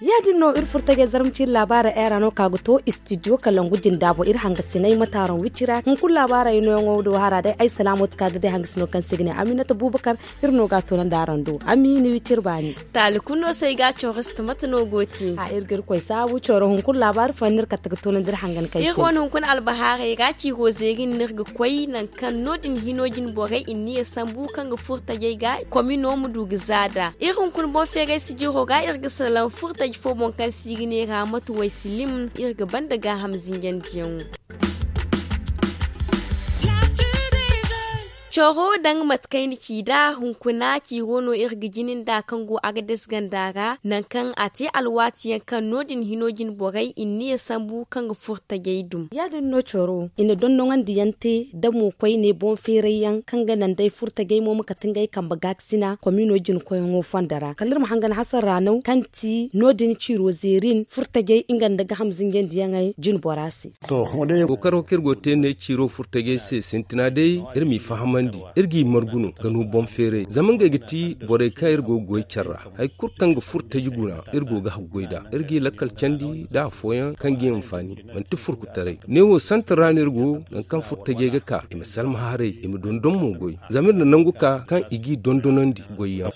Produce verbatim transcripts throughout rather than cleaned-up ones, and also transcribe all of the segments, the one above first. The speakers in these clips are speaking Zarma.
Ya- din no iri furo tajay zarma ciiri laabaara era no ka ga to istidiyo kalangu jinda boŋ iri hangasinay ma taaron wicira hunkuna laabaara ay nooyaŋo do hara day ay salaamo ti ka ga day hangasino kaŋ se ga ne aminata buubakar. Iri no ga a toonandi araŋ do ami ni wiciri baani. Taali kulu no se ay ga a cawras ti mate no go ti. A iri ga iri koy saabu cawra hunkuna laabaari fooyaŋ no iri kate ga toonandi iri hangan kaŋ ay se. Iri wane hunkuna albahaaray ra ciiro zeeri no iri ga koy nangu kaŋ no- din hino jine borey i na niya sambu kaŋ ga furo tajay ga komino ma du ga za nd'a iri hunkuna boŋ feeray sijiro ra iri ga salaŋ furo taji fo boŋ kaŋ se i ga ne ra mate way silim iri ga banda gaaham zinjandiyaŋo. Coro daŋ mate kaŋ ay na ci nd'a hunkuna ciiro no iri ga jina nd'a kaŋ go agades ganda ra nangu kaŋ a te alwaati yaŋ kaŋ no- din hino jine borey i na niya sambu kaŋ ga furo tajay dum. Ya- din no coro i na dondoŋandi yaŋ te da mo koyne boŋ feeray yaŋ kaŋ ga naŋ day furo tajay mo ma kate ngey kambe gaakasina komino jine koyyaŋo fondo ra kala iri ma hangan hasara naw kaŋ ti no- din ciiro zeerin furo tajay nga nda gaaham zinjandiyaŋey jine bora se. Kookaro kaŋ iri go ga te ne ciiro furo tajay se sintina day iri m'i fahamandi iri g'i margu no ga no boŋ feeray zama ngey ga ti borey kaŋ iri go ga goy care ra. Hari kulu kaŋ ga furo taji guna iri go ga haggoy nd'a iri g'i lakkal candi nda afooyaŋ kaŋ g'i hinfaani manti furkutaray neewo santar ra no iri go nangu kaŋ furo tajay ga ka i ma salma haray i ma dondon mo goy zama iri na nangu ka kaŋ i g'i dondonandi goyyaŋ.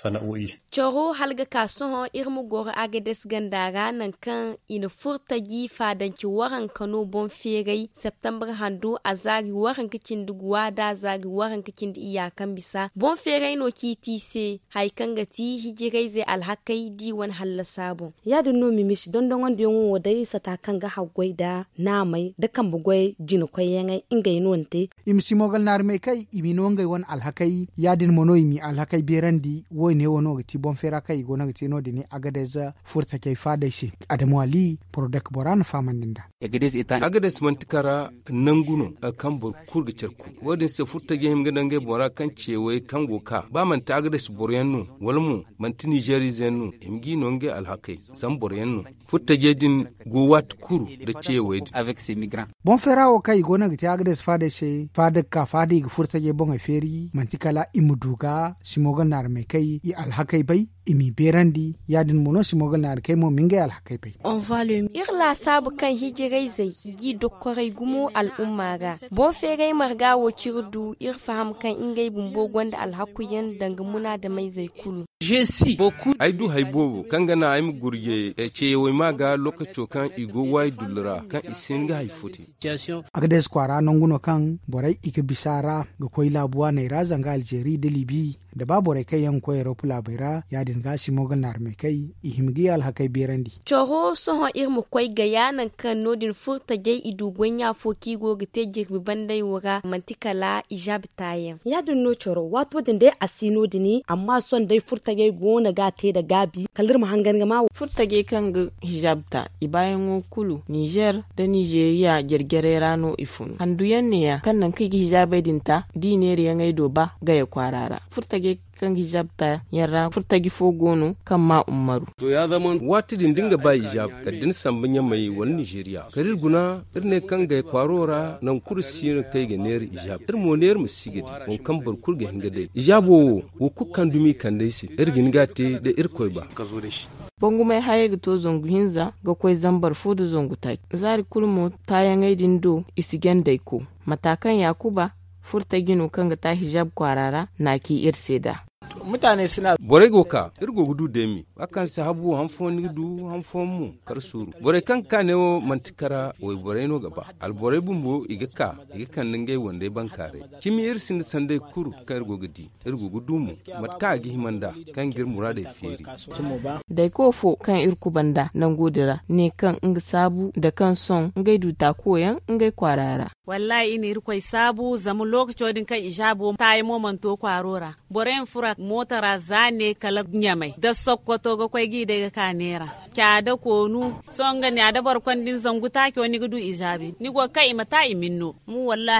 Coro hala ga ka sohõ iri ma goro agades ganda ra nangu kaŋ i na furo taji faadance waranka no boŋ feeray septembre hando a zaari waranka cindi guwa nda a zaari waranka cindi iyya kaŋ bisa boŋ feeray no ciiti i se hari kaŋ ga ti hijirayzey alhakey d'i wane hallasa boŋ. Ya- din no mimisi dondoŋandiyaŋo wo day sata kaŋ ga haggoy nda naamey nda kambe goy jina koyyaŋey ngey no ni te. I ma si moogal naari may kay i ma no ngey wane alhakey ya- din mo no i m'i alhakey beerandi wo- ne wo no ga ti boŋ feera kaŋ i go no ga te no- din agades furo tajay faadey se. Adamu ali porodek bora na fahamandi nd'a. Agades manti kara nangu no kaŋ boro kulu ga care kulu wo- din se furo tajay hima ga daŋ ngey boŋ ra kaŋ ceewey kaŋ go ga ka ba manti agades boroyaŋ no wala mo manti nizeeriize yaŋ no i ma g'i no ngey alhakey zama boroyaŋ no furo tajay din go waati kulu nda ceewey din. Boŋ feera wo kaŋ i go no ga te agades faadey se faada ga ka faada i ga furo tajay boŋey feeri manti kala i ma du ga si moogal naari may kay i alhakey bay i m'i beerandi ya- din mo no si moogal naari kay mo ma ngey alhakey bay. Iri laasaabu kaŋ hijirayzey i g'i dokkoray gumo al'umma ra boŋ feeray marga wo ciri du iri faham kaŋ ngey bumbo gonda alhakuyaŋ danga munaadamayzey kulu. Ay du hari boobo kaŋ ga naŋ ay ma gurje ceeyawey ma ga lookaco kaŋ i go waayi dullu ra kaŋ i si hin ga hari fo te. Agades kwaara nangu no kaŋ borey i ga bisa ra ga koy laabu waaney ra zanga alzeeri nda libi nda ba borey kaŋ yaŋ ga koy erop laabey ra ya- din ga si moogal naari may kay i hima ga i alhakey beerandi. Coro sohõ iri ma koy gaya nangu kaŋ no- din furo tajay i du goy ɲa fo kaŋ i go ga te jirbi bandey wo ra manti kala izaab taayaŋ. Ya- din no coro waato din day a si no- din amma sohõ day furo tajay go no ga a te nda gaabi kala iri ma hangan ga ma. Furo tajay kaŋ ga hizaab ta i baayaŋo kulu nizer nda nizeeriya jare-jarey ra no i fun handu yaŋ ne- ya kaŋ nangu kaŋ i ga hizaabey din ta da i neerayaŋey do ba gaya kwaara ra furo tajay kaŋ ga hizaab ta yaŋ ra furo taji fo go no kaŋ ma ummaru. Waati din da ni ga ba hizaab kala da ni samba ɲamay wala nizeeriya kala iri guna iri ne kaŋ gaya kwaaro ra nangu kulu si no kaŋ i ga neera hizaab iri mo neera ma si ga di waŋ kaŋ boro kulu ga hin ga day hizaabo wo wo kulu kaŋ dumi kande ay se iri ga hin ga a te da irkoy ba. Bangumay hayey ga to zangu hinza ga koy zambar fo nda zangu taaci zaari kulu mo taayaŋey din do i si gandey ko mata kaŋ yaakuba furo taji no kaŋ ga ta hizaab kwaara ra na a ci iri se nd'a. Borey go ga ka iri go ga du deemi ba kaŋ si habu han fooyaŋ ni ga du han fooyaŋ mo kar suuru borey kaŋ ga ka ne wo manti kara wayborey no ga ba alborey bumbo i ga ka i ga kande ngey wandey bankaaray cimi iri sinda sanday kulu kaŋ iri go ga di iri go ga du mo mate kaŋ a ga hima nd'a kaŋ ga iri muraadey feeri. Dayko fo kaŋ iri kuba nd'a nango din ra ne kaŋ nga saabu nda kaŋ sohõ ngey du taakuwo yaŋ ngey kwaara ra. Wallaahi i na irkoy saabu zama lookaco din kaŋ i zaabo taayaŋo mana to kwaaro ra boro yaŋ fura mooto ra za ne kala ɲamay da sokkoto ga koy ga i day ga ka neera. Caada koonu sohõ nga ne a da boro konda ni zangu taaco ni ga du i zaabi ni go ga kaŋ i ma ta i ma ni no.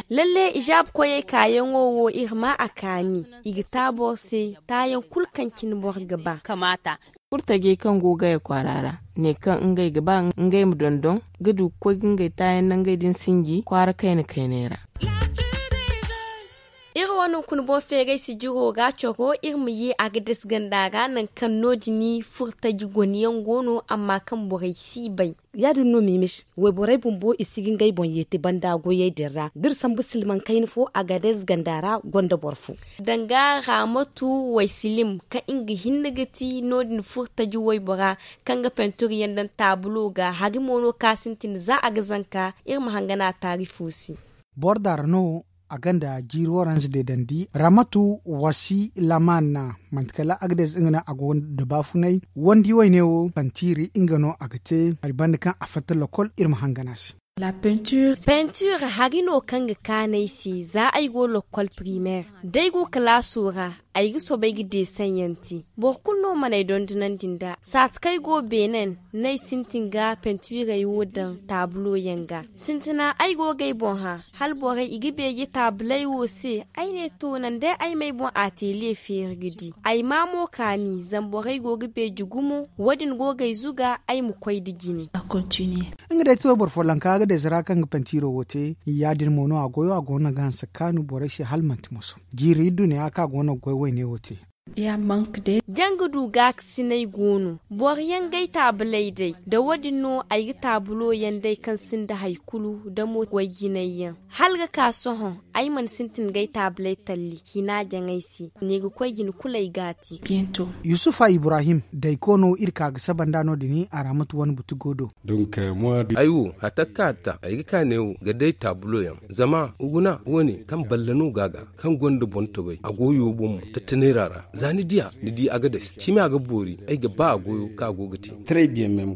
Lalle i zaabi koyey kaayaŋo wo iri ma a kaani i ga ta boro se taayaŋ kulu kaŋ cine boro ga ba. Kamaata. Furtajey kaŋ go ga gaya kwaara ra ne kaŋ ngey ga ba ngey ma dondon ga du ga koy ga ngey taayaŋ nangey din sinji kwaara kayna kayney ra. Iri wane hunkuna boŋ feeray sijiro ga coro iri ma ye a ga dasi ganda ra nangu kaŋ no- din furtaji gone yaŋ go no amma kaŋ borey si bay. Ya- din no mimis wayborey bumbo i si ga ngey boŋ yeeti banda goyey din ra da iri sambu silmaŋ kayna fo a ga dasi ganda ra gonda boro fo. Danga raamatu waysilim kaŋ nga hinne ga ti no- din furtaji waybora kaŋ ga pentur yaŋ daŋ taabulo ga hari mo no ka sintin za a ga zanka. Iri ma hangan a taari fo se. Boro daara no a gonda jiiri waranza deedandi ramatu wasi lamaan. Manti kala agades nga no a go da baafunay wandi wayne wo pantiiri nga no a ga te hari banda kaŋ a fatta lokol iri ma hangan a se. Penture hari no kaŋ ga kaanay se za ay go lokol primaire da ay go kalaaso ra ay ga soobay ga deesaŋ yaŋ te. Boro kulu no mana ay dondonandi nd'a saati kaŋ ay go beenen no ay sintin ga penturey wo daŋ taabulo yaŋ ga. Sintina ay go ga ay boŋ hã hala borey i ga beeje taabuley wo se. Ay ne to naŋ day ay m'ay boŋ ateliye feeri ga di ay ma mo kaani zama borey go ga beeje gumo wo- din go ga ay zuga ay ma koy nda jine. Nga day ti wayboro follonka agades ra kaŋ ga pantiro wo te ya- din mo no a goyo a go no ga hanse kaanu borey se hala manti moso jiiri iddu ne ya kaŋ a go no ga goy wayne wo te. Janga du gaakasinay go no boro yaŋ ga ay taabuley day da wo- din no ay ga taabulo yaŋ day kaŋ sinda hari kulu da mo wayjinay yaŋ hala ga ka sohõ ay mana sintin ga ay taabuley talli hina jaŋay se. Ne ga koy jine kulu ay ga a te. Yusufa ibrahim dayko no iri ka ga saba nd'a no- din a ra mate wane buti go do. Ay wo hatta kaŋ a ta ay ga ka neewo ga day taabulo yaŋ zama guna wo- ne kaŋ balle no ga a ga kaŋ gonda boŋ tobay a go yo boŋ mo tattaneera ra za ni diya ni di agades cimi a ga boori ay ga ba a goyo kaŋ a go ga te.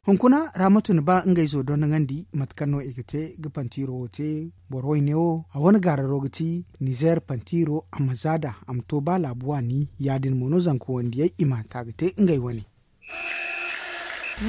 Hunkuna raamatu na ba ngey zo dondoŋandi mate kaŋ no i ga te ga pantiiro wo te. Boro wayne wo a wane gaararo ga ti nizeer pantiiro a ma zaada a ma to ba laabu waani ya- din mo no zanka wandiyey i ma ta ga te ngey wane.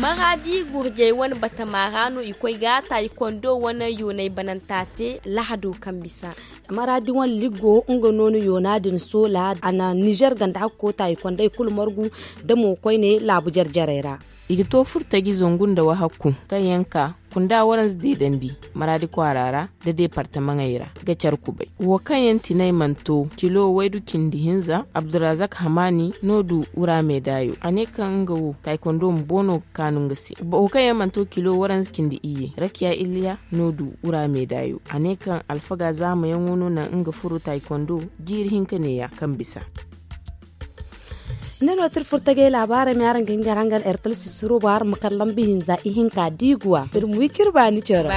Maraadi gurjey wane batama ra no i koy ga taayikondo wane yoonay bananta te lahado kaŋ bisa. Maraadi wane liggo nga no na yoona din soola a na nizer ganda hakko taayikondey kulu margu da mo koyne laabu jare-jarey ra. I ga to furtaji zangu nda wahakku kaŋ yaŋ ka kunda waranza deedandi maraadi kwaara ra da deepartamaŋey ra ga care kubay wo kaŋ yaŋ tinay mana to kilo waydu cindi hinza abdurazak hamaani no du wura meedaayo a ne kaŋ nga wo taaykondo ma boono ga kaanu nga se. Wo kaŋ yaŋ mana to kilo waranza cindi iyye rakiya iliya no du wura meedaayo a ne kaŋ alfaga zaamayaŋo no naŋ nga furo taaykondo jiiri hinka neeya kaŋ bisa. Ne no tirfurtagey laabaarey ma araŋ ga hin ga araŋ gar ertal sisiro bo araŋ ma kar lambi hinza ihinka diiguwa tirmuwi kirbaani coro.